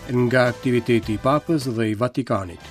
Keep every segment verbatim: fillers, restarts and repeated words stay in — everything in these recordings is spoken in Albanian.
Nga aktiviteti i Papës dhe i Vatikanit.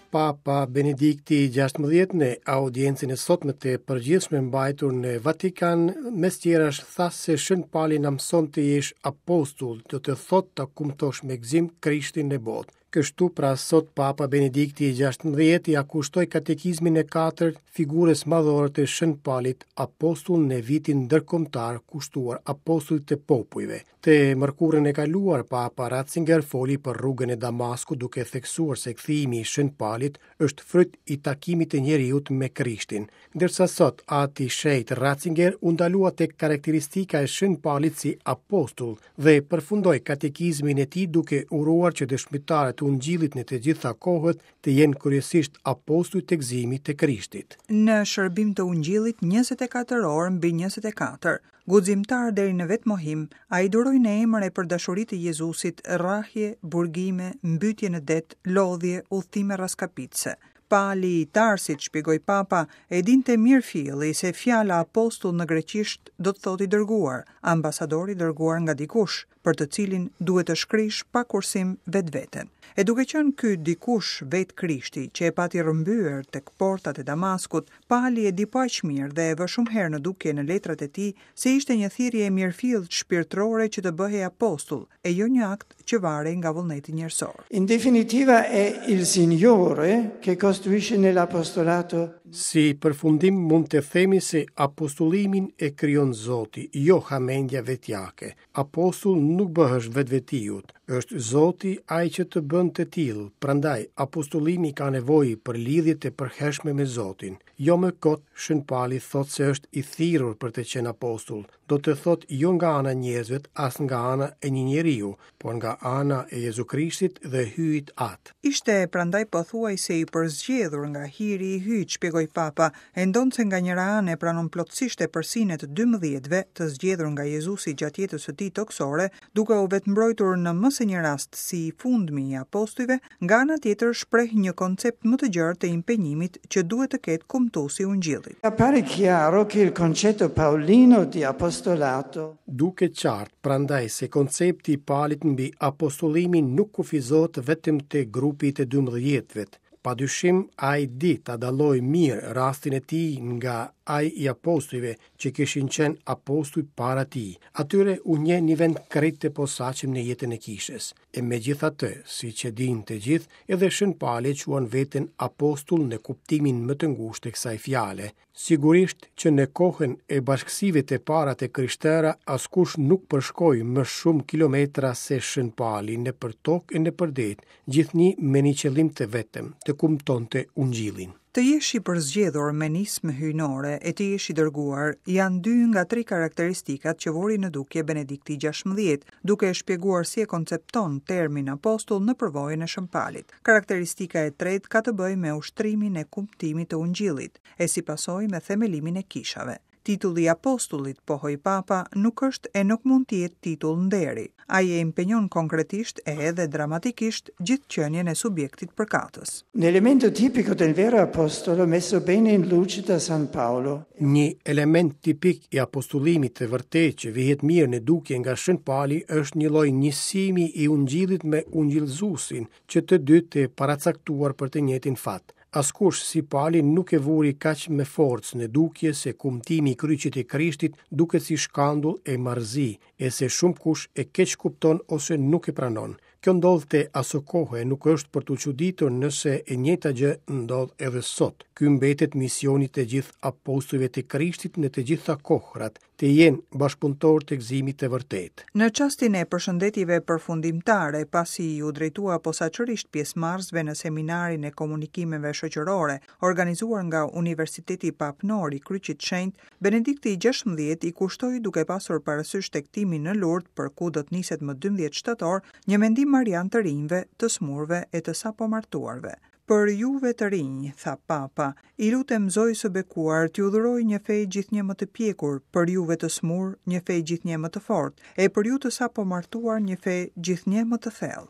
Papa Benedikti i gjashtëmbëdhjetë në audiencën e sotme të përgjithshme mbajtur në Vatikan, mes tjerash tha se Shën Pali na mëson të jesh apostull, do të thotë ta kumtosh me gëzim Krishtin në botë. Kështu pra sot Papa Benedikti i gjashtëmbëdhjetë ia kushtoi katekizmin e katërt figurës madhore të Shën Palit, apostull në vitin ndërkombëtar kushtuar apostullit të popujve. Të mërkurën e kaluar, Papa Ratzinger foli për rrugën e Damaskut duke theksuar se kthimi i Shën Palit është fryt i takimit të njeriut me Krishtin. Ndërsa sot, Ati Shenjt Ratzinger u ndalua tek karakteristika e Shën Palit si apostull dhe përfundoi katekizmin e tij duke uruar që dëshmitarët e Ungjillit në të gjitha kohët të jenë kryesisht apostuj të gëzimit të Krishtit. Në shërbim të Ungjillit njëzet e katër orë mbi njëzet e katër, guximtar deri në vetmohim, ai duroi në emër e për dashuri të Jezusit rrahje, burgime, mbytje në det, lodhje, udhëtime rraskapitse. Pali i Tarsit, shpjegoi Papa, e dinte mirëfilli se fjala apostull në greqisht do të thotë i dërguar, ambasador i dërguar nga dikush, për të cilin duhet të shkrish pa kursim vetveten. E duke qenë ky dikush vetë Krishti, që e pati rrëmbyer tek portat e Damaskut, Pali e di po aq mirë dhe e vë shumë herë në dukje në letrat e tij se ishte një thirrje e mirëfilltë shpirtërore që të bëhej apostull, e jo një akt që varej nga vullneti njerëzor. In definitiva è il Signore che costruisce nell'apostolato. Si përfundim mund të themi se apostullimin e krijon Zoti, jo hamendja vetjake. Apostull nuk bëhesh vetvetiut, është Zoti ai që të bën të tillë, prandaj apostullimi ka nevojë për lidhje të përhershme me Zotin. Jo më kot, Shën Pali thotë se është i thirrur për të qenë apostull, do të thotë jo nga ana e njerëzve, as nga ana e një njeriu, por nga ana e Jezu Krishtit dhe Hyjit At. Ishte prandaj pothuajse i përzgjedhur nga hiri i Hyjit, shpjegoi Papa, e ndonse nga njëra anë e pranon plotësisht epërsinë e të dymbëdhjetëve të zgjedhur nga Jezusi gjatë jetës së tij tokësore, duke u vetëmbrojtur në më se një rast si i fundmi i apostujve, nga ana tjetër shpreh një koncept më të gjerë të impenjimit që duhet të ketë kumtuesi i Ungjillit. Appare chiaro che il concetto paolino di apostolato Duket qartë prandaj se koncepti i Palit mbi apostullimin nuk kufizohet vetëm te grupi i të dymbëdhjetëve. Padyshim, ai di ta dallojë mirë rastin e tij nga ai i apostujve që kishin qenë apostuj para tij. Atyre u njeh një vend krejt të posaçëm në jetën e kishës. E megjithatë, siç e dinë të gjithë, edhe Shën Pali e quan veten apostull në kuptimin më të ngushtë të kësaj fjale. Sigurisht që në kohën e bashkësive të para të krishtera, askush nuk përshkoi më shumë kilometra se Shën Pali nëpër tokë e nëpër det, gjithnjë me një qëllim të vetëm, të kumtonte Ungjillin. Të jesh i përzgjedhur me nismë hyjnore e të jesh i dërguar janë dy nga tri karakteristikat që vuri në dukje Benedikti i gjashtëmbëdhjetë, duke e shpjeguar si e koncepton termin apostull në përvojën e Shën Palit. Karakteristika e tretë ka të bëjë me ushtrimin e kumtimit të Ungjillit, e si pasojë me themelimin e kishave. Titulli i apostullit, pohoi Papa, nuk është e nuk mund të jetë titull nderi. Ai e impenjon konkretisht e edhe dramatikisht gjithë qenien e subjektit përkatës. Un elemento tipico del vero apostolo messo bene in luce da San Paolo. Një element tipik i apostullimit të vërtetë që vihet mirë në dukje nga Shën Pali është një lloj njësimi i Ungjillit me Ungjillzuesin, që të dy të paracaktuar për të njëjtin fat. Askush si Pali nuk e vuri kaq me forcë në dukje se kumtimi i kryqit të Krishtit duket si shkandull e marrëzi, e se shumë kush e keq kupton ose nuk e pranon. Kjo ndodhte aso kohe, nuk është për t'u çuditur nëse e njëjta gjë ndodh edhe sot. Ky mbetet misioni të gjithë apostujve të Krishtit në të gjitha kohrat, të jenë bashkëpunëtorë të gëzimit të vërtetë. Në çastin e përshëndetjeve përfundimtare, pasi iu drejtua posaçërisht pjesëmarrësve në seminarin e komunikimeve shoqërore, organizuar nga Universiteti Papnor i Kryqit Shenjt, Benedikti i gjashtëmbëdhjetë i kushtoi duke pasur parasysh tektimin në Lourdes për ku do të niset më dymbëdhjetë shtator, një mendim marian të rinjve, të smurve e të sapomartuarve. Për juve të rinj, tha Papa, i lutem Zojës së bekuar t'ju dhuroj një fe gjithnjë më të pjekur, për juve të smur një fe gjithnjë më të fortë, e për ju të sapomartuar një fe gjithnjë më të thellë.